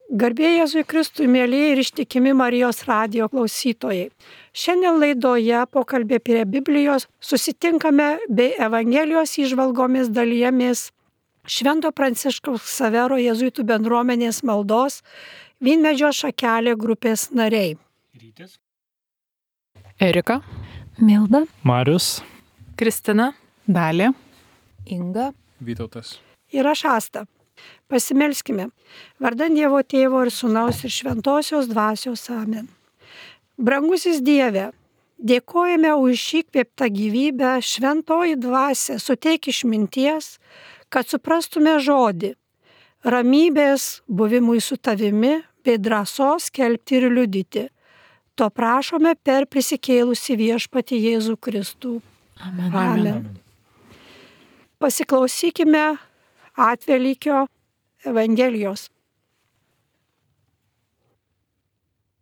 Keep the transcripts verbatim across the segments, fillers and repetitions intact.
Garbė Jėzui Kristui, mėlyje ir ištikimi Marijos radijo klausytojai. Šiandien laidoje pokalbė prie Biblijos susitinkame bei Evangelijos įžvalgomis dalijamės Švento Pranciškaus Ksavero jėzuitų bendruomenės maldos Vynmedžio šakelė grupės nariai. Rytis. Erika. Milda. Marius. Kristina. Dalė. Inga. Vytautas. Ir aš Asta. Pasimelskime. Vardan Dievo Tėvo ir Sūnaus ir Šventosios Dvasios. Amen. Brangusis Dieve, dėkojame už šį kvėptą gyvybę, Šventoji Dvasia, suteik išminties, kad suprastume žodį, ramybės buvimui su tavimi, bei drąsos skelbti ir liudyti. To prašome per prisikėlusi viešpatį Jėzų Kristų. Amen. Amen. Amen. Pasiklausykime Atvelykio Evangelijos.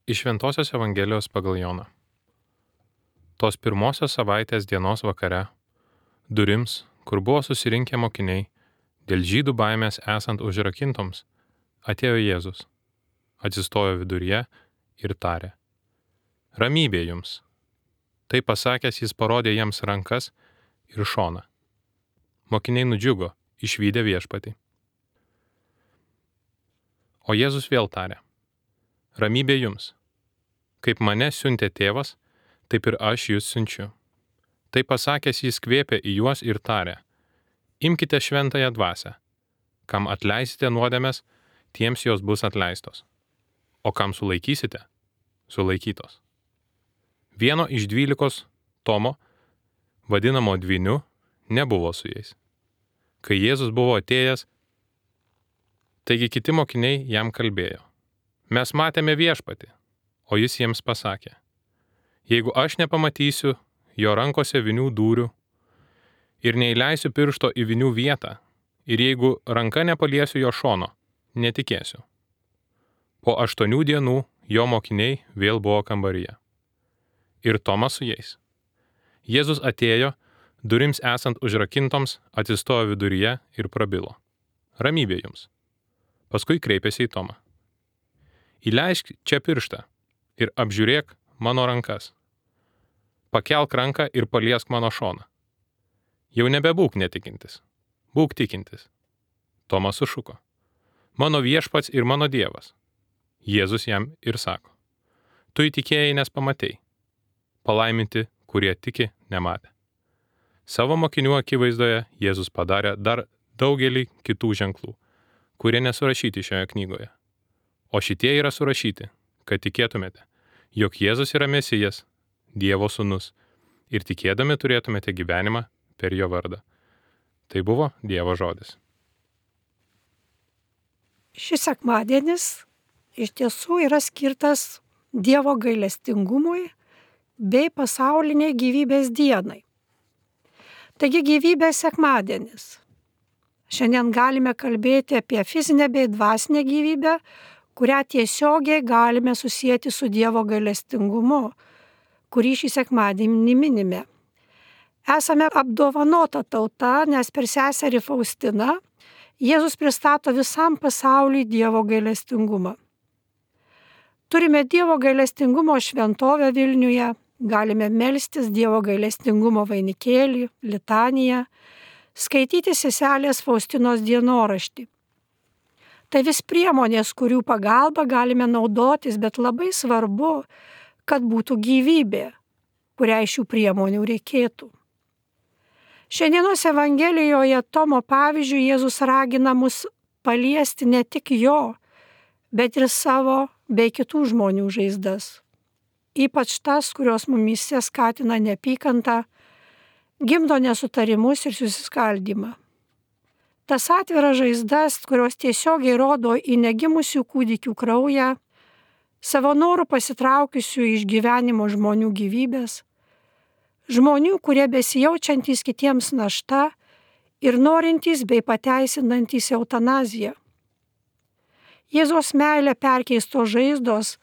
Iš Šventosios Evangelijos pagal Joną. Tos pirmosios savaitės dienos vakare, durims, kur buvo susirinkę mokiniai, dėl žydų baimės esant užrakintoms, atėjo Jėzus, atsistojo viduryje ir tarė: Ramybė jums. Tai pasakęs jis parodė jiems rankas ir šoną. Mokiniai nudžiugo, išvydę viešpatį. O Jėzus vėl tarė: Ramybė jums. Kaip mane siuntė tėvas, taip ir aš jūs siunčiu. Tai pasakęs jis kvėpė į juos ir tarė: Imkite šventąją dvasią. Kam atleisite nuodėmes, tiems jos bus atleistos. O kam sulaikysite, sulaikytos. Vieno iš dvylikos, Tomo, vadinamo dvyniu, nebuvo su jais. Kai Jėzus buvo atėjęs, taigi kiti mokiniai jam kalbėjo: Mes matėme viešpatį, o jis jiems pasakė: Jeigu aš nepamatysiu jo rankose vinių dūrių ir neįleisiu piršto į vinių vietą, ir jeigu ranka nepaliesiu jo šono, netikėsiu. Po aštuonių dienų jo mokiniai vėl buvo kambaryje. Ir Tomas su jais. Jėzus atėjo, durims esant užrakintoms, atsistojo viduryje ir prabilo: Ramybė jums. Paskui kreipėsi į Tomą: Įleisk čia pirštą ir apžiūrėk mano rankas. Pakelk ranką ir paliesk mano šoną. Jau nebebūk netikintis, būk tikintis. Tomas sušuko: Mano viešpats ir mano Dievas. Jėzus jam ir sako: Tu įtikėjai, nes pamatei. Palaiminti, kurie tiki, nematė. Savo mokinių akivaizdoje Jėzus padarė dar daugelį kitų ženklų, kurie nesurašyti šioje knygoje. O šitie yra surašyti, kad tikėtumėte, jog Jėzus yra Mesijas, Dievo sūnus, ir tikėdami turėtumėte gyvenimą per jo vardą. Tai buvo Dievo žodis. Šis sekmadienis iš tiesų yra skirtas Dievo gailestingumui bei pasauliniai gyvybės dienai. Taigi gyvybės sekmadienis. Šiandien galime kalbėti apie fizinę bei dvasinę gyvybę, kurią tiesiogiai galime susijęti su Dievo gailestingumu, kurį šį sekmadienį minime. Esame apdovanota tauta, nes per seserį Faustiną Jėzus pristato visam pasauliui Dievo gailestingumą. Turime Dievo gailestingumo šventovę Vilniuje, galime melstis Dievo gailestingumo vainikėlį, litaniją, skaityti seselės Faustinos dienoraštį. Tai vis priemonės, kurių pagalba galime naudotis, bet labai svarbu, kad būtų gyvybė, kuriai šių priemonių reikėtų. Šiandienos Evangelijoje Tomo pavyzdžių Jėzus ragina mus paliesti ne tik jo, bet ir savo bei kitų žmonių žaizdas. Ypač tas, kurios mumyse skatina neapykantą, gimdo nesutarimus ir susiskaldymą. Tas atviras žaizdas, kurios tiesiogiai rodo į negimusių kūdikių kraują, savo norų pasitraukiusių iš gyvenimo žmonių gyvybės, žmonių, kurie besijaučiantys kitiems našta ir norintys bei pateisinantys eutanaziją. Jėzaus meilė perkeistos žaizdos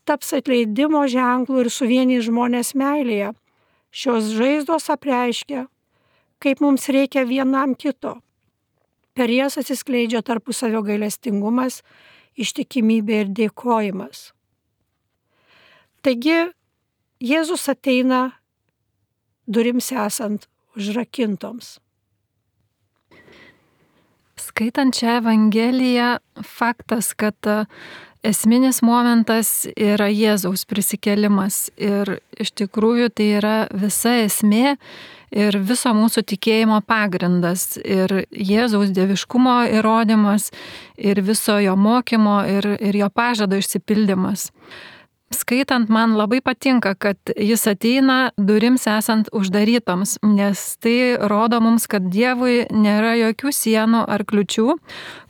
taps atleidimo ženklų ir suvienys žmonės meilėje. Šios žaizdos apreiškia, kaip mums reikia vienam kito. Per jas atsiskleidžia tarpusavio gailestingumas ištikimybė ir dėkojimas. Taigi Jėzus ateina durims esant užrakintoms. Skaitant šią Evangeliją, faktas, kad esminis momentas yra Jėzaus prisikėlimas ir iš tikrųjų tai yra visa esmė ir viso mūsų tikėjimo pagrindas ir Jėzaus dieviškumo įrodymas ir viso jo mokymo ir, ir jo pažado išsipildymas. Skaitant, man labai patinka, kad jis ateina durims esant uždarytoms, nes tai rodo mums, kad Dievui nėra jokių sienų ar kliučių,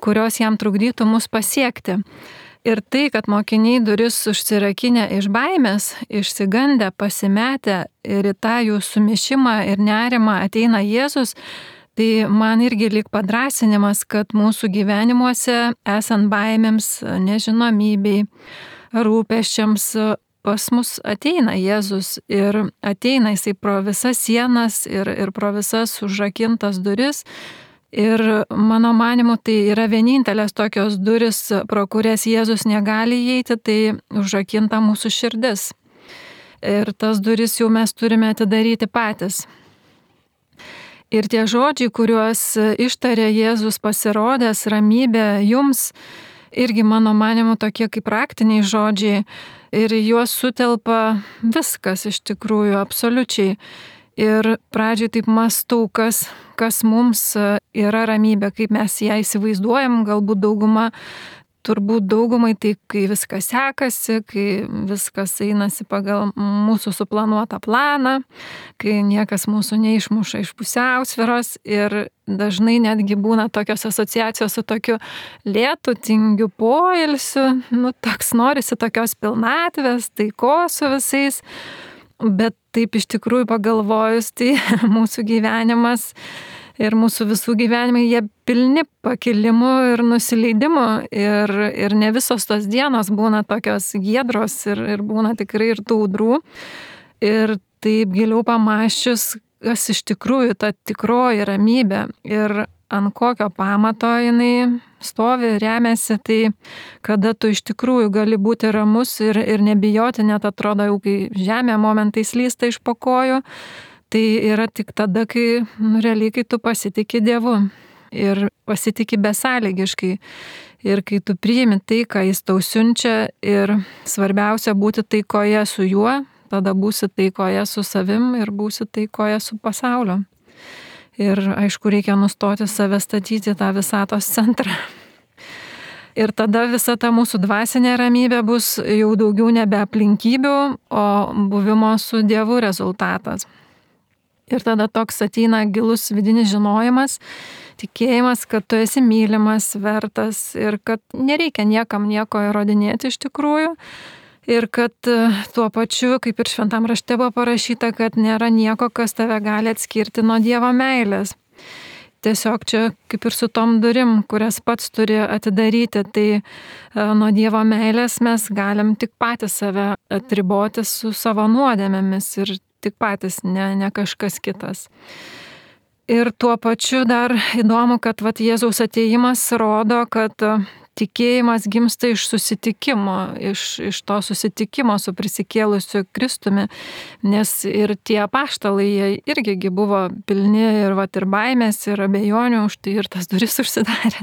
kurios jam trukdytų mus pasiekti. Ir tai, kad mokiniai duris užsirakinę iš baimės, išsigandę, pasimetę ir į tą jų sumišimą ir nerimą ateina Jėzus, tai man irgi lyg padrasinimas, kad mūsų gyvenimuose esant baimėms, nežinomybei, rūpesčiams pas mus ateina Jėzus ir ateina jisai pro visas sienas ir, ir pro visas užrakintas duris. Ir mano manimu, tai yra vienintelės tokios duris, pro kurias Jėzus negali įeiti, tai užrakinta mūsų širdis. Ir tas duris jau mes turime atidaryti patys. Ir tie žodžiai, kuriuos ištarė Jėzus pasirodęs, ramybė jums, irgi mano manimu tokie kaip praktiniai žodžiai ir juos sutelpa viskas iš tikrųjų absoliučiai. Ir pradžiai taip mąstau, kas, kas mums yra ramybė, kaip mes ją įsivaizduojam, galbūt dauguma, turbūt daugumai tai, kai viskas sekasi, kai viskas einasi pagal mūsų suplanuotą planą, kai niekas mūsų neišmuša iš pusiausvyros ir dažnai netgi būna tokios asociacijos su tokiu lėtu, tingiu poilsiu, nu toks norisi tokios pilnatvės, taikos su visais. Bet taip iš tikrųjų pagalvojus, tai mūsų gyvenimas ir mūsų visų gyvenimai, jie pilni pakilimų ir nusileidimų ir, ir ne visos tos dienos būna tokios giedros ir, ir būna tikrai ir tų audrų. Ir taip giliau pamąsčius, kas iš tikrųjų ta tikroji ramybė ir ant kokio pamato jinai stovi, remiasi, tai kada tu iš tikrųjų gali būti ramus ir, ir nebijoti, net atrodo jau kai žemė momentais lysta iš po kojų, tai yra tik tada, kai nu, realiai, kai tu pasitiki Dievu ir pasitiki besąlygiškai ir kai tu priimi tai, ką Jis tau siunčia ir svarbiausia būti taikoje su juo, tada būsi taikoje su savim ir būsi taikoje su pasauliu. Ir aišku, reikia nustoti save statyti tą visatos centrą. Ir tada visa ta mūsų dvasinė ramybė bus jau daugiau nebe aplinkybių, o buvimo su Dievu rezultatas. Ir tada toks ateina gilus vidinis žinojimas, tikėjimas, kad tu esi mylimas, vertas ir kad nereikia niekam nieko įrodinėti iš tikrųjų. Ir kad tuo pačiu, kaip ir šventam rašte buvo parašyta, kad nėra nieko, kas tave gali atskirti nuo Dievo meilės. Tiesiog čia kaip ir su tom durim, kurias pats turi atidaryti, tai nuo Dievo meilės mes galim tik patys save atriboti su savo nuodėmėmis ir tik patys, ne, ne kažkas kitas. Ir tuo pačiu dar įdomu, kad vat, Jėzaus atėjimas rodo, kad tikėjimas gimsta iš susitikimo, iš, iš to susitikimo su prisikėlusiu Kristumi, nes ir tie apaštalai, jie irgi buvo pilni ir, vat, ir baimės, ir abejonių, už tai ir tas duris užsidarė.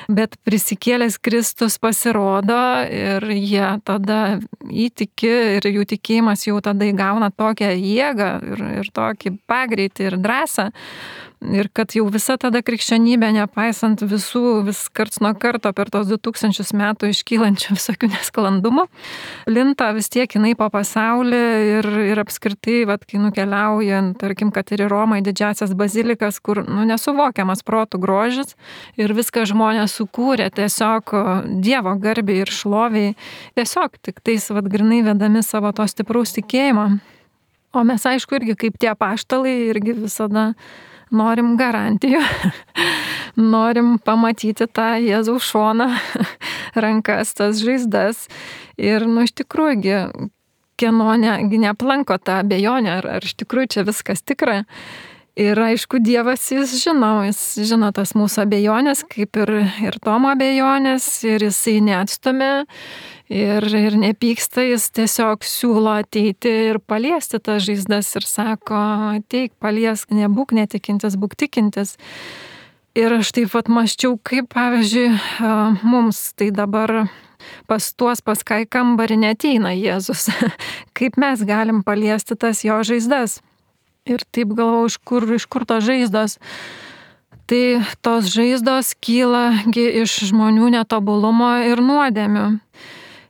Bet prisikėlęs Kristus pasirodo ir jie tada įtiki ir jų tikėjimas jau tada įgauna tokią jėgą ir, ir tokį pagreitį ir drąsą. Ir kad jau visa tada krikščionybė, nepaisant visų, vis karts nuo karto per tos du tūkstančius metų iškylančių visokių nesklandumų, plinta vis tiek jinai po pasaulį ir, ir apskritai, vat, kai nukeliaujant, tarkim, kad ir į Romą, į didžiasias bazilikas, kur nu, nesuvokiamas protų grožis ir viską žmonės sukūrė tiesiog Dievo garbiai ir šloviai, tiesiog tik tais vat, grinai vedami savo to stipraus tikėjimo. O mes aišku irgi kaip tie apaštalai irgi visada norim garantijų, norim pamatyti tą Jėzaus šoną, rankas, tas žaizdas. Ir, nu, iš tikrųjų, kieno ne, neaplanko tą abejonę, ar, ar iš tikrųjų čia viskas tikra. Ir aišku, Dievas jis žino, jis žino tas mūsų abejonės, kaip ir, ir Tomo abejonės, ir jisai neatstumia ir, ir nepyksta, jis tiesiog siūlo ateiti ir paliesti tas žaizdas ir sako, ateik, paliesk, nebūk netikintis, būk tikintis. Ir aš taip pat maščiau, kaip pavyzdžiui, mums tai dabar pas tuos, pas ką į kambarį neateina Jėzus, kaip mes galim paliesti tas jo žaizdas. Ir taip galvau, iš kur, iš kur tos žaizdos. Tai tos žaizdos kyla iš žmonių netobulumo ir nuodėmių.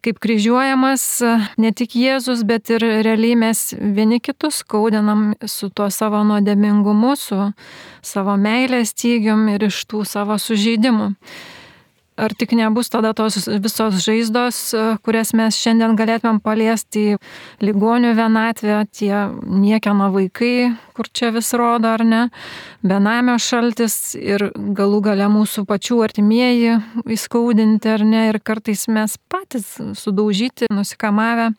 Kaip kryžiuojamas ne tik Jėzus, bet ir realiai mes vieni kitus skaudinam su tuo savo nuodėmingumu, su savo meilės stygium ir iš tų savo sužeidimų. Ar tik nebus tada tos visos žaizdos, kurias mes šiandien galėtumėm paliesti, ligonių vienatvė, tie niekieno vaikai, kur čia vis rodo ar ne, benamio šaltis ir galų gale mūsų pačių artimieji įskaudinti ar ne, ir kartais mes patys sudaužyti, nusikamavę.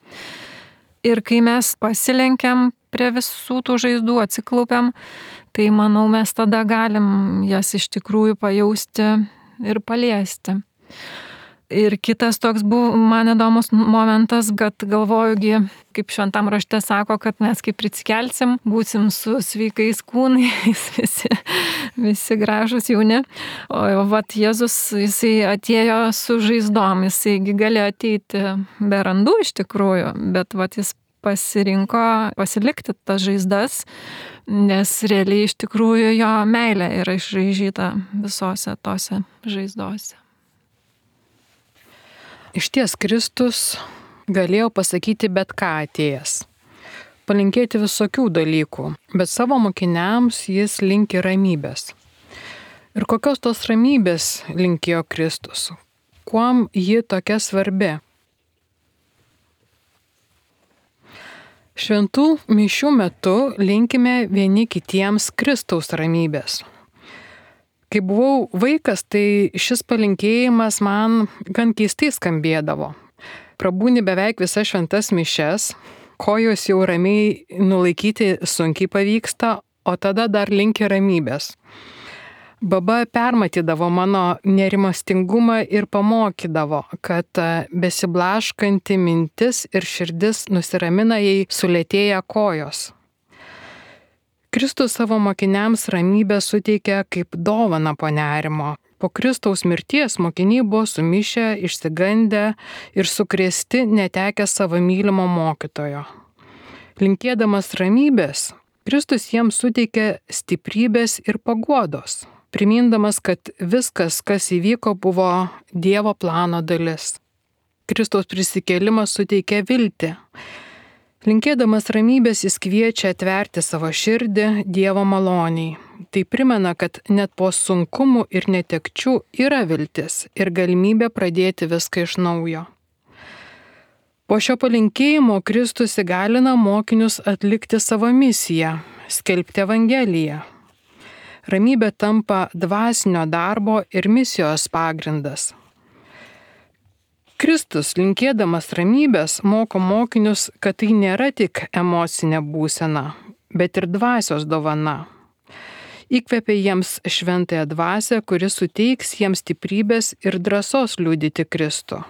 Ir kai mes pasilenkiam prie visų tų žaizdų, atsiklaupiam, tai manau mes tada galim jas iš tikrųjų pajausti ir paliesti. Ir kitas toks buvo man įdomus momentas, kad galvojugi, kaip šventam rašte sako, kad mes kaip prisikelsim, būsim su sveikais kūnais, visi, visi gražus jauni. O vat Jėzus, jisai atėjo su žaizdom, jisaigi galėjo ateiti be randų iš tikrųjų, bet vat jis pasirinko pasilikti tas žaizdas, nes realiai iš tikrųjų jo meilė yra išraižyta visose tose žaizdose. Iš ties Kristus galėjo pasakyti bet ką atėjęs, palinkėti visokių dalykų, bet savo mokiniams jis linki ramybės. Ir kokios tos ramybės linkėjo Kristus? Kuom ji tokia svarbi? Šventų mišių metu linkime vieni kitiems Kristaus ramybės. Kai buvau vaikas, tai šis palinkėjimas man gan keistai skambėdavo. Prabūni beveik visas šventas mišias, kojos jau ramiai nulaikyti sunkiai pavyksta, o tada dar linki ramybės. Baba permatydavo mano nerimastingumą ir pamokydavo, kad besiblaškanti mintis ir širdis nusiramina, jei sulėtėja kojos. Kristus savo mokiniams ramybę suteikia kaip dovaną po nerimo. Po Kristaus mirties mokiniai buvo sumišę, išsigandę ir sukrėsti, netekę savo mylimo mokytojo. Linkėdamas ramybės, Kristus jiems suteikia stiprybės ir paguodos, primindamas, kad viskas, kas įvyko, buvo Dievo plano dalis. Kristaus prisikėlimas suteikia viltį. Linkėdamas ramybės jis kviečia atverti savo širdį Dievo maloniai. Tai primena, kad net po sunkumų ir netekčių yra viltis ir galimybė pradėti viską iš naujo. Po šio palinkėjimo Kristus įgalina mokinius atlikti savo misiją – skelbti Evangeliją. Ramybė tampa dvasinio darbo ir misijos pagrindas. Kristus, linkėdamas ramybės, moko mokinius, kad tai nėra tik emocinė būsena, bet ir dvasios dovana. Įkvepia jiems šventąją dvasią, kuri suteiks jiems stiprybės ir drąsos liudyti Kristų.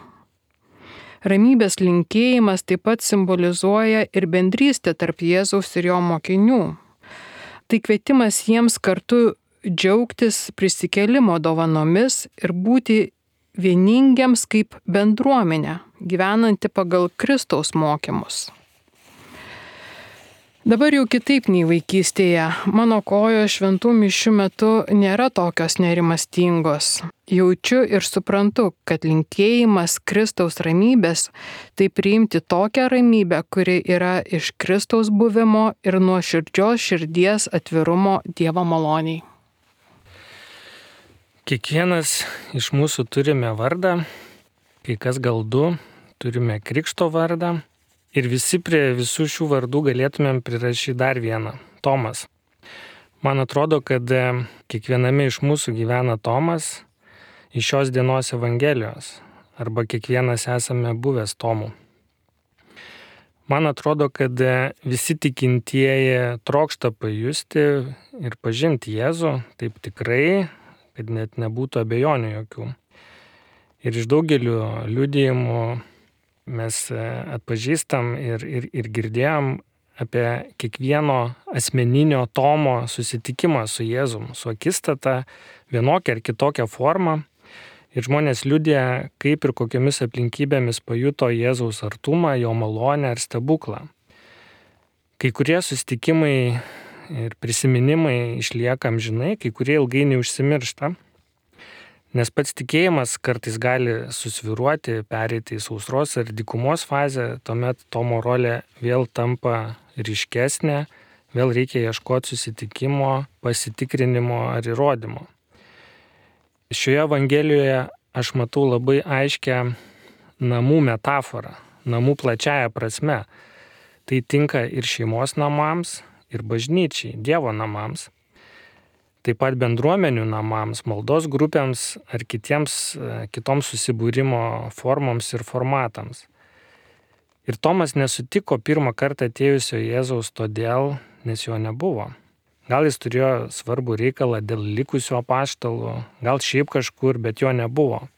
Ramybės linkėjimas taip pat simbolizuoja ir bendrystę tarp Jėzaus ir jo mokinių. Tai kvietimas jiems kartu džiaugtis prisikėlimo dovanomis ir būti vieningiams kaip bendruomenė, gyvenanti pagal Kristaus mokymus. Dabar jau kitaip nei vaikystėje. Mano kojos šventų mišių metu nėra tokios nerimastingos. Jaučiu ir suprantu, kad linkėjimas Kristaus ramybės tai priimti tokią ramybę, kuri yra iš Kristaus buvimo ir nuoširdžios širdies atvirumo Dievo maloniai. Kiekvienas iš mūsų turime vardą, kai kas gal du, turime krikšto vardą. Ir visi prie visų šių vardų galėtumėm prirašyti dar vieną – Tomas. Man atrodo, kad kiekviename iš mūsų gyvena Tomas iš šios dienos Evangelijos, arba kiekvienas esame buvęs Tomų. Man atrodo, kad visi tikintieji trokšta pajusti ir pažinti Jėzų, taip tikrai, kad net nebūtų abejonių jokių. Ir iš daugelių liudijimų mes atpažįstam ir, ir, ir girdėjom apie kiekvieno asmeninio Tomo susitikimą su Jėzum, su akistata, vienokia ar kitokia forma. Ir žmonės liudija, kaip ir kokiamis aplinkybėmis pajuto Jėzaus artumą, jo malonę ar stebuklą. Kai kurie susitikimai ir prisiminimai išlieka amžinai, kai kurie ilgainiui užsimiršta, nes pats tikėjimas kartais gali susviruoti, pereiti į sausros ar dykumos fazę, tuomet Tomo rolė vėl tampa ryškesnė, vėl reikia ieškoti susitikimo, pasitikrinimo ar įrodymo. Šioje Evangelijoje aš matau labai aiškę namų metaforą, namų plačiaja prasme. Tai tinka ir šeimos namams, ir bažnyčiai, Dievo namams, taip pat bendruomenių namams, maldos grupėms ar kitiems, kitoms susibūrimo formoms ir formatams. Ir Tomas nesutiko pirmą kartą atėjusio Jėzaus todėl, nes jo nebuvo. Gal jis turėjo svarbų reikalą dėl likusių apaštalų, gal šiaip kažkur, bet jo nebuvo.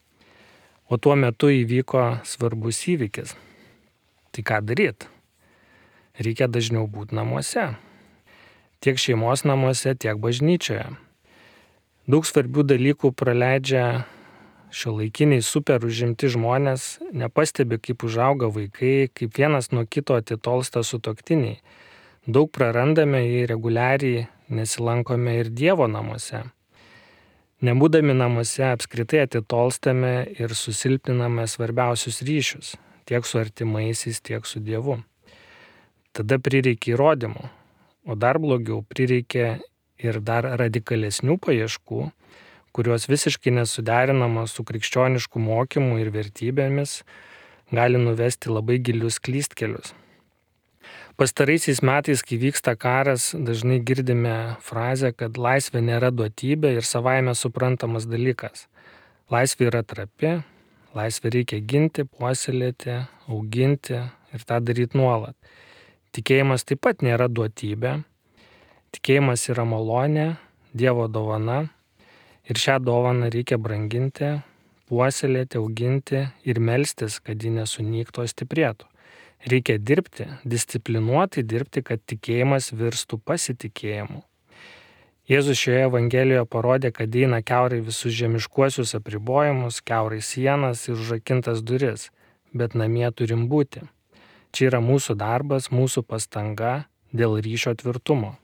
O tuo metu įvyko svarbus įvykis. Tai ką daryti? Reikia dažniau būti namuose. Tiek šeimos namuose, tiek bažnyčioje. Daug svarbių dalykų praleidžia šiuolaikiniai super užimti žmonės, nepastebi, kaip užauga vaikai, kaip vienas nuo kito atitolsta sutuoktiniai. Daug prarandame, jei reguliariai nesilankome ir Dievo namuose. Nebūdami namuose apskritai atitolstame ir susilpniname svarbiausius ryšius, tiek su artimaisiais, tiek su Dievu. Tada prireikia įrodymų, o dar blogiau prireikia ir dar radikalesnių paieškų, kurios visiškai nesuderinamos su krikščionišku mokymu ir vertybėmis, gali nuvesti labai gilius klystkelius. Pastaraisiais metais, kai vyksta karas, dažnai girdime frazę, kad laisvė nėra duotybė ir savaime suprantamas dalykas. Laisvė yra trapi, laisvę reikia ginti, puoselėti, auginti ir tą daryti nuolat. Tikėjimas taip pat nėra duotybė. Tikėjimas yra malonė, Dievo dovana ir šią dovaną reikia branginti, puoselėti, auginti ir melstis, kad ji nesunyktų, stiprėtų. Reikia dirbti, disciplinuotai dirbti, kad tikėjimas virstų pasitikėjimu. Jėzus šioje Evangelijoje parodė, kad eina kiaurai visus žemiškuosius apribojimus, kiaurai sienas ir užrakintas duris, bet namie turim būti. Čia yra mūsų darbas, mūsų pastanga dėl ryšio tvirtumo.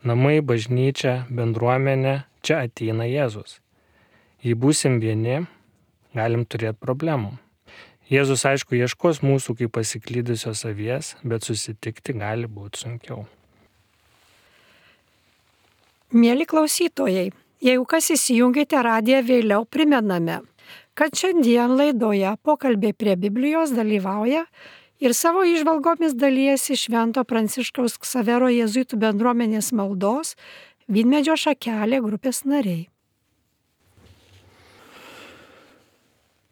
Namai, bažnyčia, bendruomenė, čia ateina Jėzus. Jei būsim vieni, galim turėti problemų. Jėzus, aišku, ieškos mūsų kaip pasiklydusios avies, bet susitikti gali būti sunkiau. Mėly klausytojai, jeigu kas įsijungėte radiją vėliau, primename, kad šiandien laidoje Pokalbiai prie Biblijos dalyvauja ir savo įžvalgomis dalijasi Švento Pranciškaus Ksavero jėzuitų bendruomenės maldos Vynmedžio šakelė grupės nariai.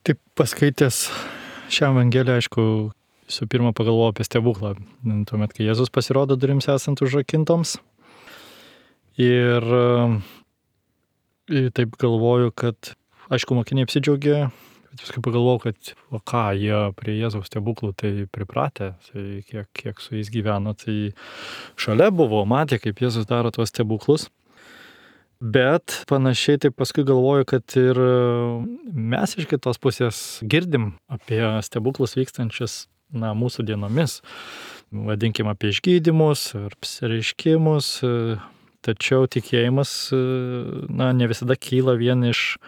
Taip, paskaitęs šią Evangeliją, aišku, visų pirma pagalvojau apie stebuklą. Tuomet, kai Jėzus pasirodo durims esant užrakintoms. Ir, ir taip galvoju, kad, aišku, mokiniai apsidžiaugė, bet paskui pagalvojau, kad o ką, jie prie Jėzaus stebuklų tai pripratę, tai kiek, kiek su jais gyveno, tai šalia buvo, matė, kaip Jėzus daro tuos stebuklus. Bet panašiai taip paskui galvoju, kad ir mes iš kitos pusės girdim apie stebuklus vykstančius na, mūsų dienomis. Vadinkim apie išgydymus ar apsireiškimus, tačiau tikėjimas na, ne visada kyla vien iš,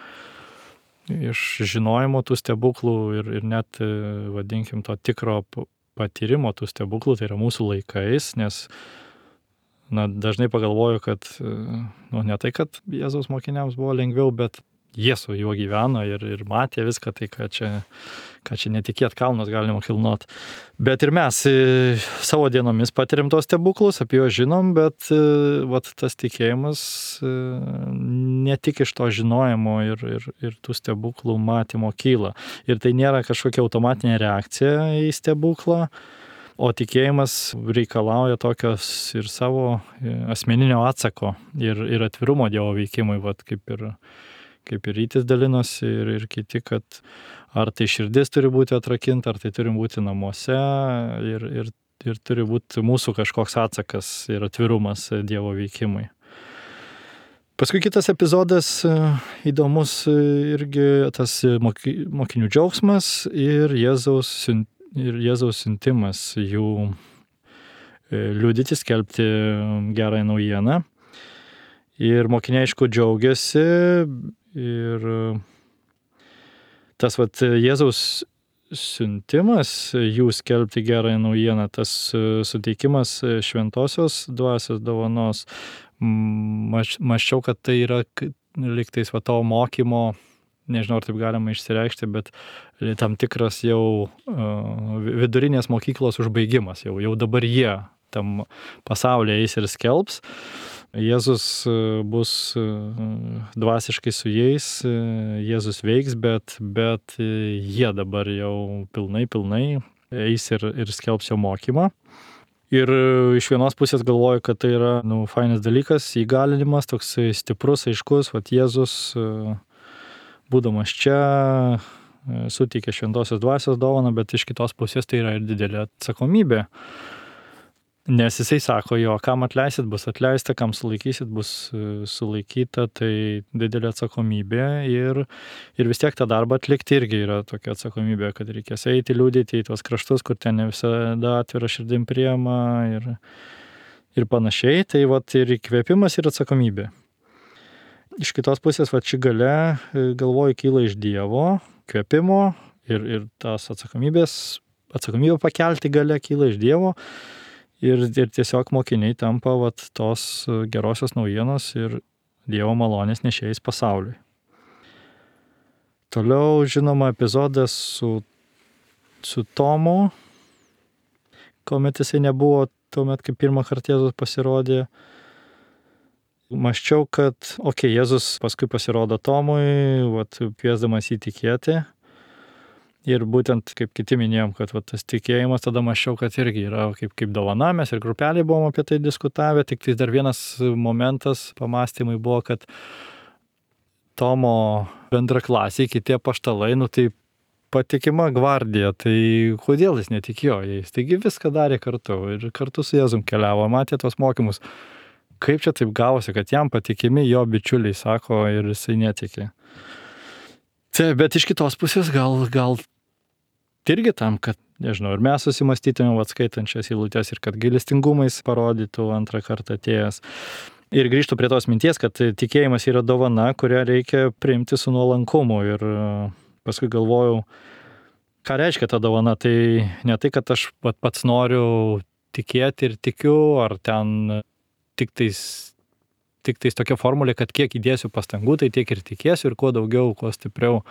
iš žinojimo tų stebuklų ir, ir net, vadinkim, to tikro patyrimo tų stebuklų, tai yra mūsų laikais, nes na, dažnai pagalvoju, kad nu, ne tai, kad Jėzaus mokiniams buvo lengviau, bet jie su juo gyveno ir, ir matė viską, tai ką čia, ką čia netikėt kalnus galima kilnot. Bet ir mes savo dienomis patirim tos stebuklus, apie juos žinom, bet vat, tas tikėjimas ne tik iš to žinojimo ir, ir, ir tų stebuklų matymo kyla. Ir tai nėra kažkokia automatinė reakcija į stebuklą, O tikėjimas reikalauja tokios ir savo asmeninio atsako ir, ir atvirumo Dievo veikimui, vat, kaip ir, kaip ir Rytis dalinosi ir, ir kiti, kad ar tai širdis turi būti atrakinta, ar tai turi būti namuose ir, ir, ir turi būti mūsų kažkoks atsakas ir atvirumas Dievo veikimui. Paskui kitas epizodas įdomus irgi tas mokinių džiaugsmas ir Jėzaus siuntimas. Ir Jėzaus siuntimas jų liudyti, skelbti gerąją naujieną. Ir mokiniai, aišku, džiaugiasi. Ir tas vat, Jėzaus siuntimas jų skelbti gerąją naujieną, tas suteikimas šventosios dvasios dovanos, maščiau, kad tai yra lygtais va to mokymo, nežinau, ar taip galima išsireikšti, bet tam tikras jau uh, vidurinės mokyklos užbaigimas. Jau, jau dabar jie tam pasaulyje eis ir skelbs. Jėzus bus dvasiškai su jais, Jėzus veiks, bet, bet jie dabar jau pilnai, pilnai eis ir, ir skelbs jo mokymą. Ir iš vienos pusės galvoju, kad tai yra nu, fainas dalykas, įgalinimas, toks stiprus, aiškus, vat Jėzus būdamas čia, suteikė šventosios dvasios dovaną, bet iš kitos pusės tai yra ir didelė atsakomybė. Nes jisai sako, jo, kam atleisit, bus atleista, kam sulaikysit, bus sulaikyta, tai didelė atsakomybė ir, ir vis tiek tą darbą atlikti irgi yra tokia atsakomybė, kad reikės eiti, liūdėti į tuos kraštus, kur ten ne visada atvira širdim priema ir, ir panašiai. Tai vat ir įkvėpimas ir atsakomybė. Iš kitos pusės, va ši galia, galvoju, kyla iš Dievo, kvėpimo ir, ir tas atsakomybės, atsakomybę pakelti galia kyla iš Dievo ir, ir tiesiog mokiniai tampa va, tos gerosios naujienos ir Dievo malonės nešėjais pasauliui. Toliau, žinoma, epizodas su, su Tomu, kuomet jisai nebuvo tuomet, kai pirmą kartą Jėzus pasirodė. Maščiau, kad, okei, okay, Jėzus paskui pasirodo Tomui, vat, kviesdamas jį tikėti. Ir būtent, kaip kiti minėjom, kad vat, tas tikėjimas, tada maščiau, kad irgi yra kaip, kaip dovana, mes ir grupelį buvom apie tai diskutavę, tik tai dar vienas momentas pamastymai buvo, kad Tomo bendraklasiai, kiti apaštalai, nu tai patikima gvardija, tai kodėl jis netikėjo jais? Taigi viską darė kartu ir kartu su Jėzum keliavo, matė tos mokymus. Kaip čia taip gavosi, kad jam patikimi jo bičiuliai sako ir jisai netikė. Tai, bet iš kitos pusės gal, gal irgi tam, kad, nežinau, ir mes susimastytumėm atskaitančias eilutes ir kad gailestingumais parodytų antrą kartą atėjęs. Ir grįžtų prie tos minties, kad tikėjimas yra dovana, kurią reikia priimti su nuolankumu. Ir paskui galvojau, ką reiškia ta dovana. Tai ne tai, kad aš pats noriu tikėti ir tikiu, ar ten tik tais, tik tais tokia formulė, kad kiek įdėsiu pastangų, tai tiek ir tikėsiu ir kuo daugiau, kuo stipriau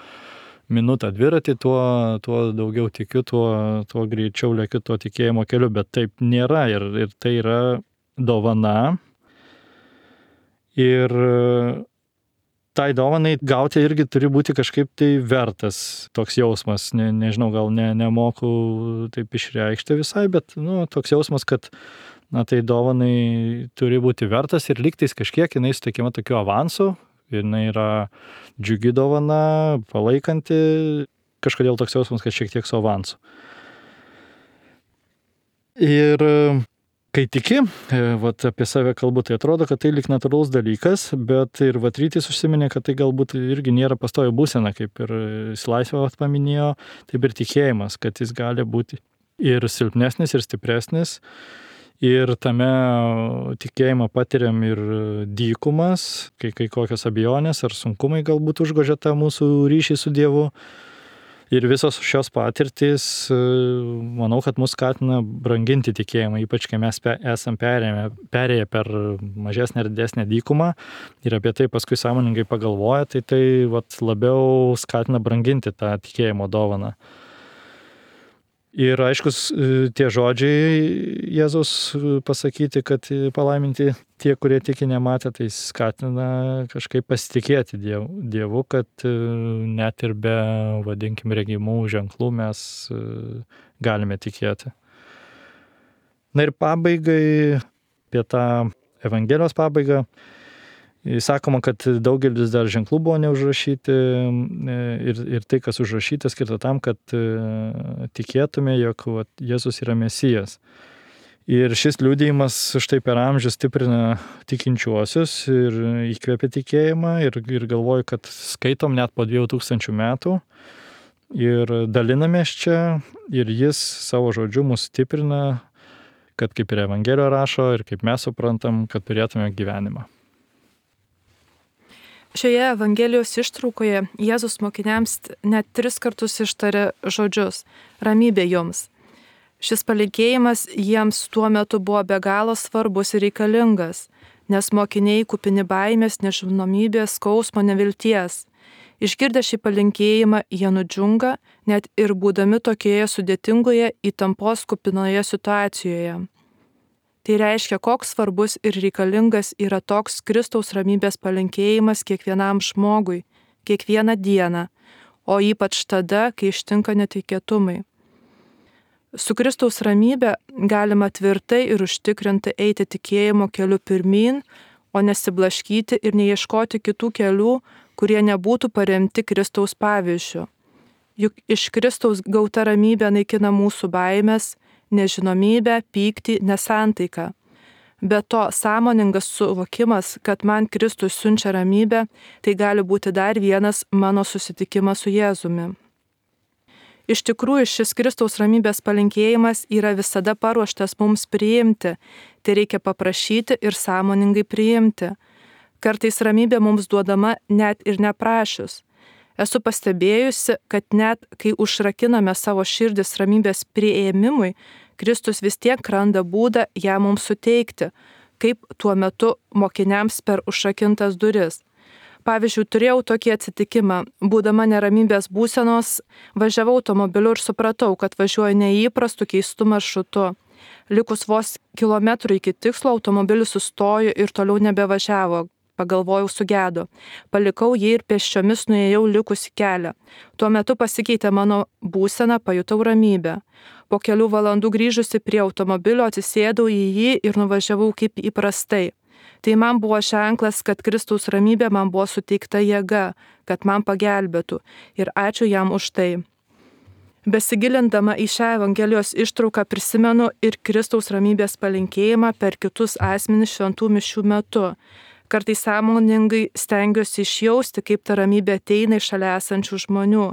minutą dviratį, tuo, tuo daugiau tikiu, tuo, tuo greičiau lėkiu tuo tikėjimo keliu, bet taip nėra ir, ir tai yra dovana. Ir tai dovanai gauti irgi turi būti kažkaip tai vertas toks jausmas, ne, nežinau, gal ne, nemoku taip išreikšti visai, bet nu, toks jausmas, kad na tai dovanai turi būti vertas ir lygtais kažkiek jinai suteikiama tokiu avansu, jinai yra džiugi dovana, palaikanti, kažkodėl toks jausmas, kad šiek tiek su avansu. Ir kai tiki, vat, apie save kalbu, tai atrodo, kad tai lyg natūralus dalykas, bet ir vat Rytis užsiminė, kad tai galbūt irgi nėra pastovi būsena, kaip ir Laisvė paminėjo, taip ir tikėjimas, kad jis gali būti ir silpnesnis, ir stipresnis. Ir tame tikėjimą patiriam ir dykumas, kai, kai kokios abejonės ar sunkumai galbūt užgožia tą mūsų ryšį su Dievu. Ir visos šios patirtys, manau, kad mus skatina branginti tikėjimą, ypač kai mes esam perėję per mažesnę ir didesnę dykumą ir apie tai paskui sąmoningai pagalvoja, tai tai vat, labiau skatina branginti tą tikėjimo dovaną. Ir aiškus tie žodžiai Jėzaus pasakyti, kad palaiminti tie, kurie tiki nematę, tai skatina kažkaip pasitikėti Dievu, kad net ir be, vadinkim, regimų ženklų mes galime tikėti. Na ir pabaigai, apie tą Evangelijos pabaigą, sakoma, kad daugelis dar ženklų buvo neužrašyti ir, ir tai, kas užrašyta, skirta tam, kad tikėtume, jog vat, Jėzus yra Mesijas. Ir šis liudijimas štai per amžius stiprina tikinčiuosius ir įkvepia tikėjimą ir, ir galvoju, kad skaitom net po dviejų tūkstančių metų ir dalinamės čia ir jis savo žodžiu mus stiprina, kad kaip ir Evangelija rašo ir kaip mes suprantam, kad turėtume gyvenimą. Šioje Evangelijos ištraukoje Jėzus mokiniams net tris kartus ištarė žodžius – ramybė jums. Šis palinkėjimas jiems tuo metu buvo be galo svarbus ir reikalingas, nes mokiniai kupini baimės, nežinomybės, skausmo, nevilties. Išgirdę šį palinkėjimą, jie nudžiunga, net ir būdami tokioje sudėtingoje, įtampos kupinoje situacijoje. Tai reiškia, koks svarbus ir reikalingas yra toks Kristaus ramybės palinkėjimas kiekvienam žmogui, kiekvieną dieną, o ypač tada, kai ištinka netikėtumai. Su Kristaus ramybė galima tvirtai ir užtikrinti eiti tikėjimo keliu pirmyn, o nesiblaškyti ir neieškoti kitų kelių, kurie nebūtų paremti Kristaus pavyzdžiu. Juk iš Kristaus gauta ramybė naikina mūsų baimės, nežinomybę, pyktį, nesantaiką. Be to, sąmoningas suvokimas, kad man Kristus siunčia ramybę, tai gali būti dar vienas mano susitikimas su Jėzumi. Iš tikrųjų, šis Kristaus ramybės palinkėjimas yra visada paruoštas mums priimti, tai reikia paprašyti ir sąmoningai priimti. Kartais ramybė mums duodama net ir neprašius. Esu pastebėjusi, kad net kai užrakiname savo širdis ramybės priėmimui, Kristus vis tiek randa būdą ją mums suteikti, kaip tuo metu mokiniams per užrakintas duris. Pavyzdžiui, turėjau tokį atsitikimą, būdama neramybės būsenos, važiavau automobiliu ir supratau, kad važiuoju neįprastu keistu maršrutu. Likus vos kilometrų iki tikslo, automobilis sustojo ir toliau nebevažiavo. Pagalvojau, sugedo. Palikau jį ir pėsčiomis nuėjau likusį kelią. Tuo metu pasikeitė mano būsena, pajutau ramybę. Po kelių valandų grįžusi prie automobilio atsisėdau į jį ir nuvažiavau kaip įprastai. Tai man buvo ženklas, kad Kristaus ramybė man buvo suteikta jėga, kad man pagelbėtų. Ir ačiū jam už tai. Besigilindama į šią Evangelijos ištrauką prisimenu ir Kristaus ramybės palinkėjimą per kitus asmenis šventų mišių metu. Kartais sąmoningai stengiuosi išjausti, kaip ta ramybė ateina iš šalia esančių žmonių,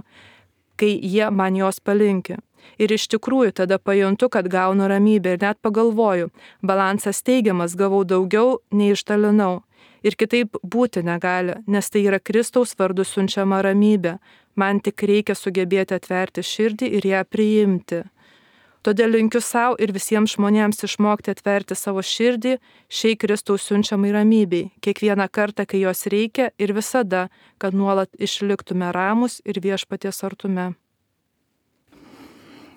kai jie man jos palinki. Ir iš tikrųjų tada pajuntu, kad gaunu ramybę ir net pagalvoju, balansas teigiamas, gavau daugiau, nei išdalinau. Ir kitaip būti negali, nes tai yra Kristaus vardu siunčiama ramybė. Man tik reikia sugebėti atverti širdį ir ją priimti. Todėl linkiu savo ir visiems žmonėms išmokti atverti savo širdį šiai Kristaus siunčiamai ramybei, kiekvieną kartą, kai jos reikia ir visada, kad nuolat išliktume ramus ir viešpaties artume.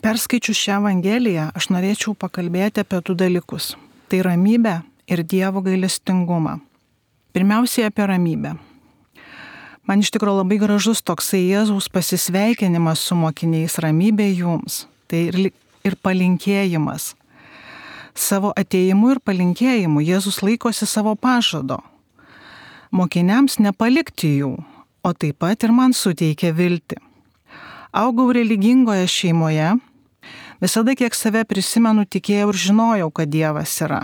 Perskaičius šią Evangeliją, aš norėčiau pakalbėti apie du dalykus. Tai ramybę ir Dievo gailestingumą. Pirmiausiai apie ramybę. Man iš tikrųjų labai gražus toksai Jėzaus pasisveikinimas su mokiniais, ramybė jums. Tai ir ir palinkėjimas. Savo atėjimu ir palinkėjimu Jėzus laikosi savo pažado. Mokiniams nepalikti jų, o taip pat ir man suteikia viltį. Augau religingoje šeimoje, visada kiek save prisimenu, tikėjau ir žinojau, kad Dievas yra.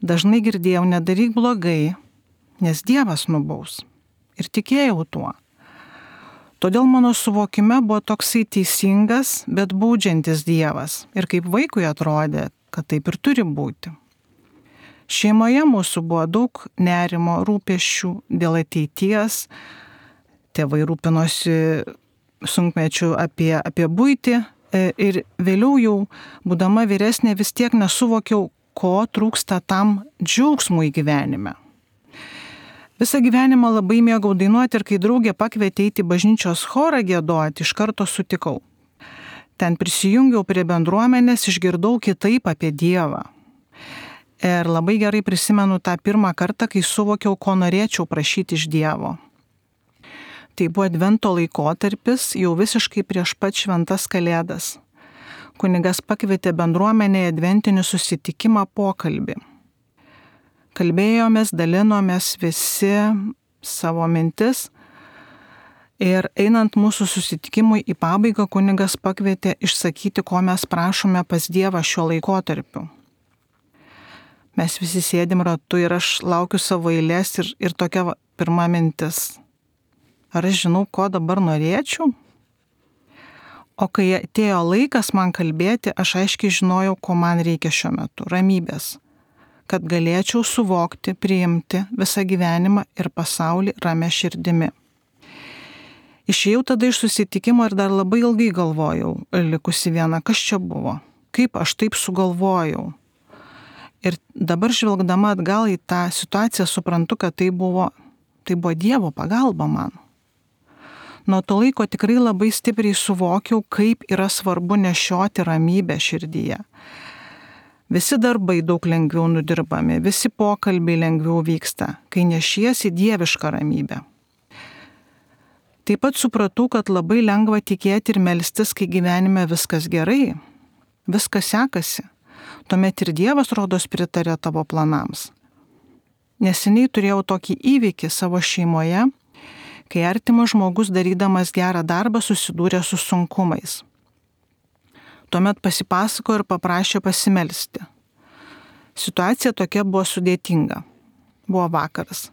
Dažnai girdėjau, nedaryk blogai, nes Dievas nubaus. Ir tikėjau tuo. Todėl mano suvokime buvo toksai teisingas, bet baudžiantis Dievas. Ir kaip vaikui atrodė, kad taip ir turi būti. Šeimoje mūsų buvo daug nerimo, rūpesčių dėl ateities. Tėvai rūpinosi sunkmečių apie, apie buitį. Ir vėliau jau, būdama vyresnė, vis tiek nesuvokiau, ko trūksta tam džiaugsmui gyvenime. Visą gyvenimą labai mėgau dainuoti ir kai draugė pakvietė eiti bažnyčios chorą giedoti, iš karto sutikau. Ten prisijungiau prie bendruomenės, išgirdau kitaip apie Dievą. Ir labai gerai prisimenu tą pirmą kartą, kai suvokiau, ko norėčiau prašyti iš Dievo. Tai buvo advento laikotarpis, jau visiškai prieš pat šventas kalėdas. kunigas pakvietė bendruomenėje adventinį susitikimą pokalbį. Kalbėjomės, dalinomės visi savo mintis ir einant mūsų susitikimui į pabaigą kunigas pakvietė išsakyti, ko mes prašome pas Dievą šiuo laikotarpiu. Mes visi sėdim ratu ir aš laukiu savo eilės ir, ir tokia va, pirma mintis. Ar aš žinau, ko dabar norėčiau? O kai atėjo laikas man kalbėti, aš aiškiai žinojau, ko man reikia šiuo metu. Ramybės. Kad galėčiau suvokti, priimti visą gyvenimą ir pasaulį ramia širdimi. Išėjau tada iš susitikimo ir dar labai ilgai galvojau, likusi viena, kas čia buvo, kaip aš taip sugalvojau. Ir dabar žvelgdama atgal į tą situaciją suprantu, kad tai buvo, tai buvo Dievo pagalba man. Nuo to laiko tikrai labai stipriai suvokiau, kaip yra svarbu nešioti ramybę širdyje. Visi darbai daug lengviau nudirbami, visi pokalbiai lengviau vyksta, kai nešiesi dievišką ramybę. Taip pat supratau, kad labai lengva tikėti ir melstis, kai gyvenime viskas gerai, viskas sekasi. Tuomet ir Dievas rodos pritarė tavo planams. Neseniai turėjau tokį įvykį savo šeimoje, kai artimas žmogus darydamas gerą darbą susidūrė su sunkumais. Tuomet pasipasako ir paprašė pasimelsti. Situacija tokia buvo sudėtinga. Buvo vakaras.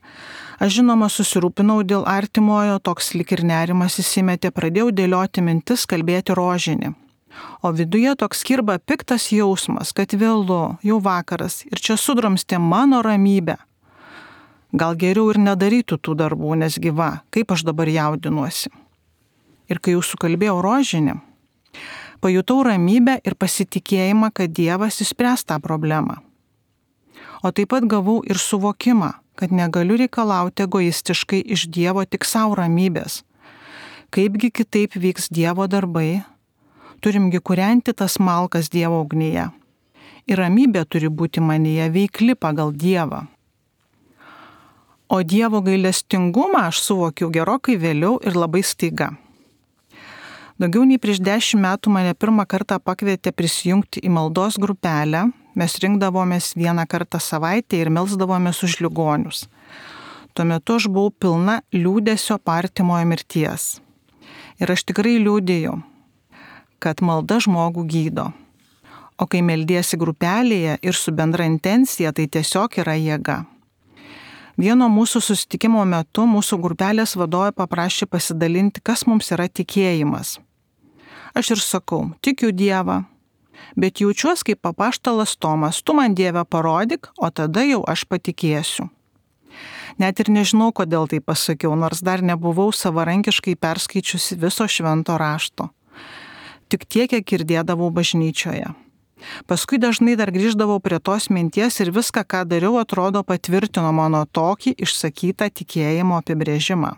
Aš žinoma susirūpinau dėl artimojo, toks lik ir nerimas įsimetė, pradėjau dėlioti mintis, kalbėti rožinį. O viduje toks kirba piktas jausmas, kad vėlu, jau vakaras ir čia sudrumstė mano ramybę. Gal geriau ir nedarytų tų darbų, nes gyva, kaip aš dabar jaudinuosi. Ir kai jau sukalbėjau rožinį, pajutau ramybę ir pasitikėjimą, kad Dievas išspręs tą problemą. O taip pat gavau ir suvokimą, kad negaliu reikalauti egoistiškai iš Dievo tik savo ramybės. Kaipgi kitaip vyks Dievo darbai, turimgi kūrenti tas malkas Dievo ugnyje. Ir ramybė turi būti manyje veikli pagal Dievą. O Dievo gailestingumą aš suvokiau gerokai vėliau ir labai staiga. Daugiau nei prieš dešimt metų mane pirmą kartą pakvietė prisijungti į maldos grupelę. Mes rinkdavomės vieną kartą savaitę ir melsdavomės už ligonius. Tuo metu aš buvau pilna liūdesio artimojo mirties. Ir aš tikrai liūdėjau, kad malda žmogų gydo. O kai meldiesi grupelėje ir su bendra intencija, tai tiesiog yra jėga. Vieno mūsų susitikimo metu mūsų grupelės vadovė paprašė pasidalinti, kas mums yra tikėjimas. Aš ir sakau, tikiu Dievą, bet jaučiuos kaip apaštalas Tomas, tu man Dievę parodyk, o tada jau aš patikėsiu. Net ir nežinau, kodėl tai pasakiau, nors dar nebuvau savarankiškai perskaičiusi viso švento rašto. Tik tiek, kiek girdėdavau bažnyčioje. Paskui dažnai dar grįždavau prie tos minties ir viską, ką dariau, atrodo patvirtino mano tokį išsakytą tikėjimo apibrėžimą.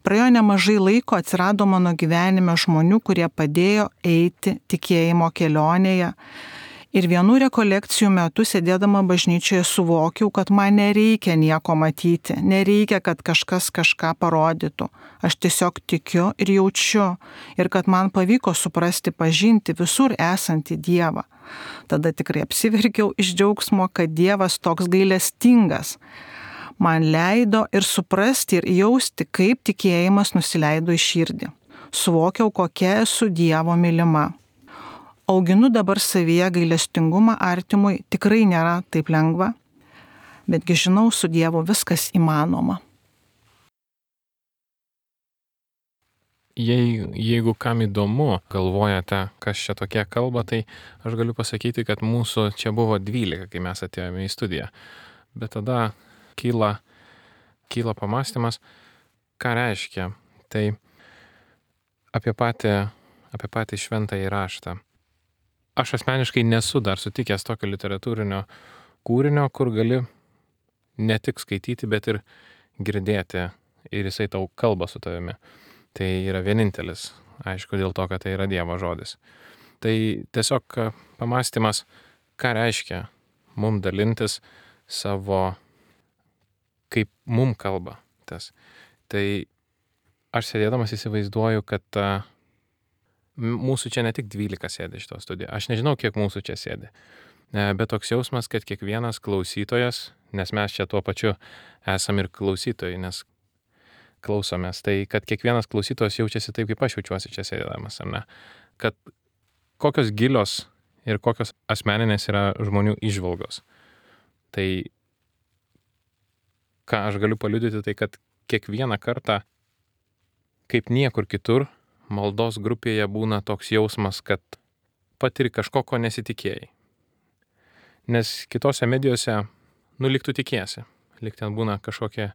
Praėjo nemažai laiko, atsirado mano gyvenime žmonių, kurie padėjo eiti tikėjimo kelionėje. Ir vienų rekolekcijų metu sėdėdama bažnyčioje suvokiau, kad man nereikia nieko matyti, nereikia, kad kažkas kažką parodytų. Aš tiesiog tikiu ir jaučiu ir kad man pavyko suprasti, pažinti visur esantį Dievą. Tada tikrai apsiverkiau iš džiaugsmo, kad Dievas toks gailestingas. Man leido ir suprasti ir jausti, kaip tikėjimas nusileido į širdį. Suvokiau, kokia esu Dievo mylima. Auginu dabar savyje gailestingumą artimui, tikrai nėra taip lengva, betgi žinau, su Dievu viskas įmanoma. Jei, jeigu kam įdomu, galvojate, kas čia tokie kalba, tai aš galiu pasakyti, kad mūsų čia buvo dvylika, kai mes atėjome į studiją. Bet tada kyla, kyla pamastymas, ką reiškia. Tai apie patį, apie patį šventąjį raštą. Aš asmeniškai nesu dar sutikęs tokio literatūrinio kūrinio, kur gali ne tik skaityti, bet ir girdėti ir jisai tau kalba su tavimi. Tai yra vienintelis, aišku, dėl to, kad tai yra Dievo žodis. Tai tiesiog pamastymas, ką reiškia mum dalintis savo, kaip mum kalba tas. Tai aš sėdėdamas įsivaizduoju, kad Mūsų čia ne tik dvylika sėdi šito studijoje, aš nežinau, kiek mūsų čia sėdi, bet toks jausmas, kad kiekvienas klausytojas, nes mes čia tuo pačiu esam ir klausytojai, nes klausomės, tai kad kiekvienas klausytojas jaučiasi taip, kaip aš jaučiuosi čia sėdėdamas, ar ne? Kad kokios gilios ir kokios asmeninės yra žmonių įžvalgos. Tai ką aš galiu paliudyti, tai kad kiekvieną kartą, kaip niekur kitur, maldos grupėje būna toks jausmas, kad patiri kažko, ko nesitikėjai. Nes kitose medijose, nu, lyg tu tikėsi, lyg ten būna kažkokie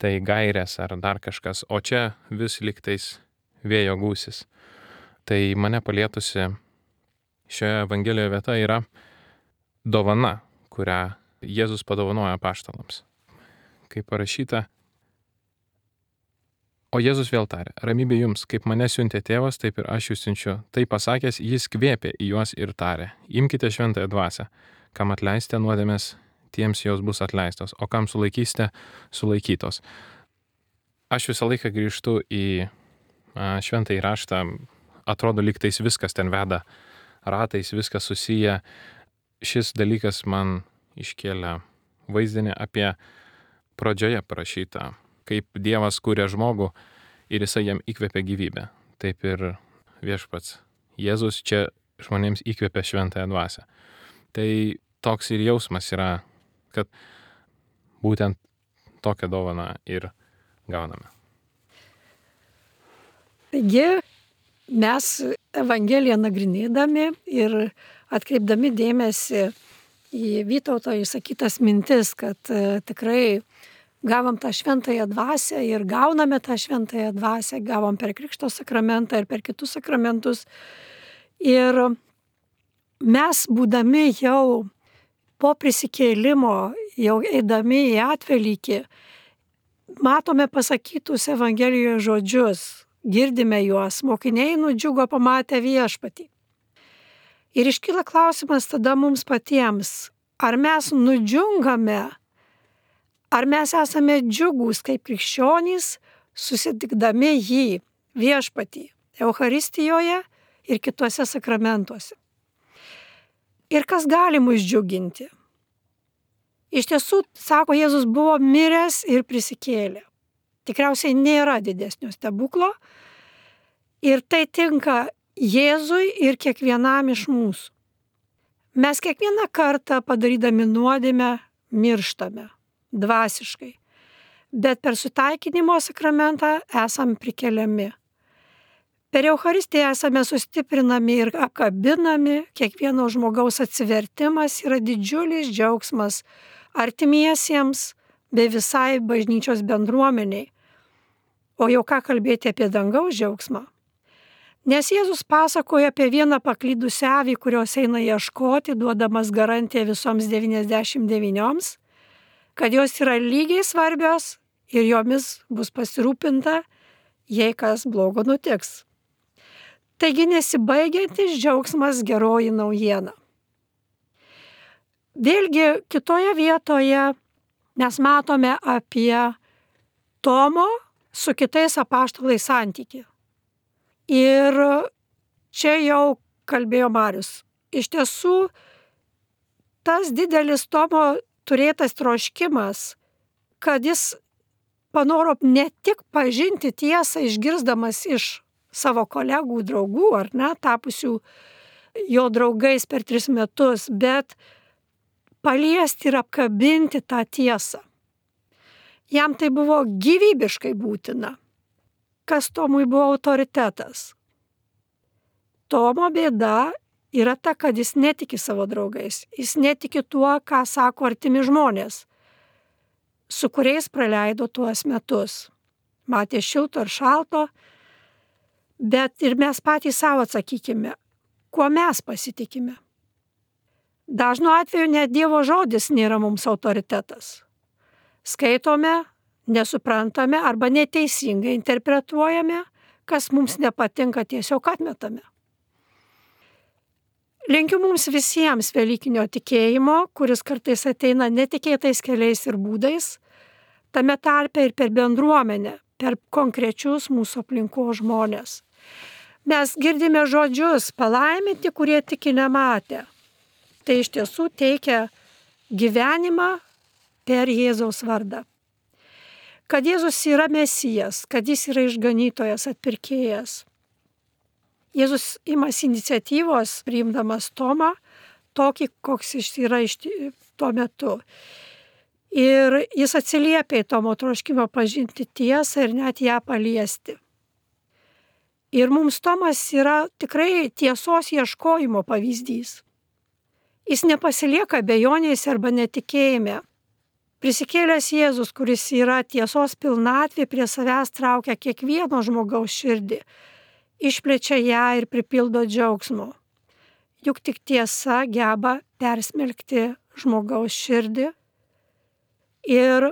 tai gairės ar dar kažkas, o čia vis lyg tais vėjo gūsis. Tai mane palietusi šioje Evangelijoje vieta yra dovana, kurią Jėzus padovanoja apaštalams. Kaip parašyta, o Jėzus vėl tarė, ramybė jums, kaip mane siuntė tėvas, taip ir aš jūs siunčiu. Tai pasakęs, jis kvėpė į juos ir tarė, imkite šventąją dvasią, kam atleisite nuodėmės, tiems jos bus atleistos, o kam sulaikysite, sulaikytos. Aš visą laiką grįžtu į šventąjį raštą, atrodo, lyg tais viskas ten veda ratais, viskas susiję. Šis dalykas man iškėlė vaizdinį apie pradžioje parašytą, kaip Dievas kūrė žmogų ir jisai jam įkvėpė gyvybę. Taip ir viešpats Jėzus čia žmonėms įkvėpė šventąją dvasią. Tai toks ir jausmas yra, kad būtent tokią dovaną ir gauname. Taigi mes Evangeliją nagrinėdami ir atkreipdami dėmesį į Vytauto išsakytas mintis, kad tikrai gavom tą šventąją dvasią ir gauname tą šventąją dvasią, gavom per Krikšto sakramentą ir per kitus sakramentus. Ir mes, būdami jau po prisikėlimo, jau eidami į atvelykį, matome pasakytus Evangelijoje žodžius, girdime juos, mokiniai nudžiugo pamatę viešpatį. Ir iškyla klausimas tada mums patiems, ar mes nudžiungame, ar mes esame džiugūs kaip krikščionys, susitikdami jį, viešpatį, Eucharistijoje ir kituose sakramentuose. Ir kas gali mus džiuginti? Iš tiesų, sako Jėzus, buvo miręs ir prisikėlė. Tikriausiai nėra didesnio stebuklo ir tai tinka Jėzui ir kiekvienam iš mūsų. Mes kiekvieną kartą padarydami nuodėmę mirštame dvasiškai, bet per sutaikinimo sakramentą esame prikeliami. Per Eucharistiją esame sustiprinami ir apkabinami, kiekvieno žmogaus atsivertimas yra didžiulis džiaugsmas artimiesiems bei visai bažnyčios bendruomeniai. O jau ką kalbėti apie dangaus džiaugsmą? Nes Jėzus pasakoja apie vieną paklydusią avį, kurios eina ieškoti, duodamas garantiją visoms devyniasdešimt devynioms, kad jos yra lygiai svarbios ir jomis bus pasirūpinta, jei kas blogo nutiks. Taigi nesibaigiantis džiaugsmas geroji naujiena. Vėlgi kitoje vietoje mes matome apie Tomo su kitais apaštalais santykį. Ir čia jau kalbėjo Marius. Iš tiesų, tas didelis Tomo turėtas troškimas, kad jis panoro ne tik pažinti tiesą, išgirsdamas iš savo kolegų, draugų, ar ne, tapusių jo draugais per tris metus, bet paliesti ir apkabinti tą tiesą. Jam tai buvo gyvybiškai būtina. Kas Tomui buvo autoritetas? Tomo bėda yra ta, kad jis netiki savo draugais. Jis netiki tuo, ką sako artimi žmonės, su kuriais praleido tuos metus. Matė šilto ir šalto, bet ir mes patys savo atsakykime, kuo mes pasitikime. Dažnu atveju net Dievo žodis nėra mums autoritetas. Skaitome, nesuprantame arba neteisingai interpretuojame, kas mums nepatinka, tiesiog atmetame. Linkiu mums visiems velykinio tikėjimo, kuris kartais ateina netikėtais keliais ir būdais, tame tarpe ir per bendruomenę, per konkrečius mūsų aplinkos žmonės. Mes girdime žodžius palaiminti, kurie tiki nematę. Tai iš tiesų teikia gyvenimą per Jėzaus vardą. Kad Jėzus yra Mesijas, kad jis yra išganytojas, atpirkėjas. Jėzus imasi iniciatyvos, priimdamas Tomą, tokį, koks jis yra iš tuo metu. Ir jis atsiliepia į Tomo troškimą pažinti tiesą ir net ją paliesti. Ir mums Tomas yra tikrai tiesos ieškojimo pavyzdys. Jis nepasilieka abejonėse arba netikėjime. Prisikėlęs Jėzus, kuris yra tiesos pilnatvė, prie savęs traukia kiekvieno žmogaus širdį, išplečia ją ir pripildo džiaugsmo. Juk tik tiesa geba persmelkti žmogaus širdį ir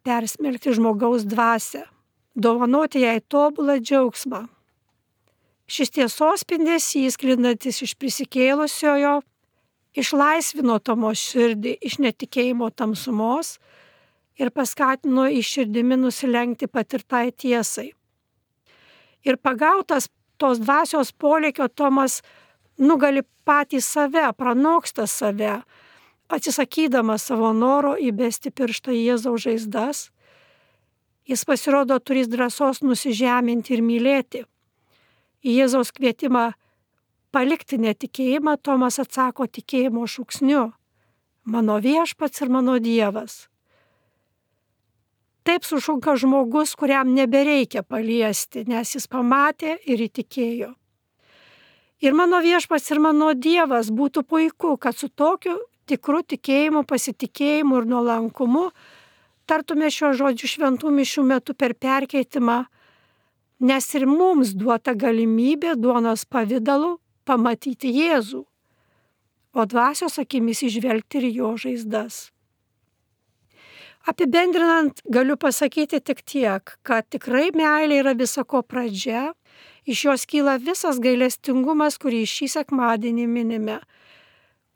persmelkti žmogaus dvasią, dovanoti jai tobulą džiaugsmą. Šis tiesos spindesys, sklindantis iš prisikėlusiojo, išlaisvino Tomo širdį iš netikėjimo tamsumos ir paskatino į širdimi nusilenkti patirtai tiesai. Ir pagautas tos dvasios polėkio Tomas nugali patį save, pranoksta save, atsisakydamas savo noro įbesti pirštą į Jėzaus žaizdas. Jis pasirodo turės drąsos nusižeminti ir mylėti. Į Jėzaus kvietimą palikti netikėjimą Tomas atsako tikėjimo šūksniu: mano viešpats ir mano Dievas. Taip sušunka žmogus, kuriam nebereikia paliesti, nes jis pamatė ir įtikėjo. Ir mano viešpats ir mano Dievas būtų puiku, kad su tokiu tikru tikėjimu, pasitikėjimu ir nuolankumu tartume šio žodžių šventų mišių metu per perkeitimą, nes ir mums duota galimybė duonos pavidalu pamatyti Jėzų, o dvasios akimis įžvelgti ir jo žaizdas. Apibendrinant, galiu pasakyti tik tiek, kad tikrai meilė yra visako pradžia, iš jos kyla visas gailestingumas, kurį šį sekmadienį minime,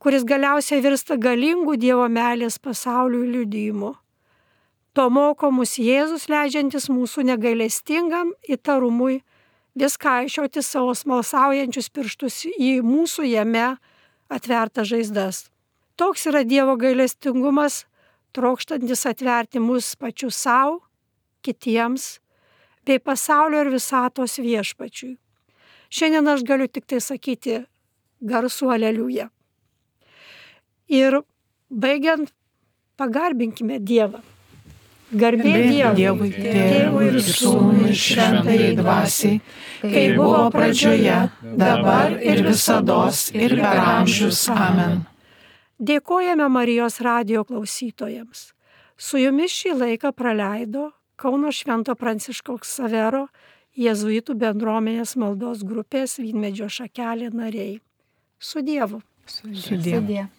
kuris galiausiai virsta galingų Dievo meilės pasauliui liudijimu. To moko mus Jėzus, leidžiantis mūsų negailestingam įtarumui vis kaišioti savo smalsaujančius pirštus į mūsų jame atvertas žaizdas. Toks yra Dievo gailestingumas, trokštantis atverti mus pačius savo, kitiems, bei pasaulio ir visatos viešpačiui. Šiandien aš galiu tik tai sakyti garsų aleliuja. Ir baigiant, pagarbinkime Dievą. Garbė Dievui, Tėvui ir Sūnui ir Šventajai Dvasiai, kaip buvo pradžioje, dabar ir visados ir per amžius. Amen. Dėkojame Marijos radijo klausytojams. Su jumis šį laiką praleido Kauno Švento Pranciškaus Ksavero jėzuitų bendruomenės maldos grupės Vynmedžio šakelė nariai. Su Dievu. Su Dievu.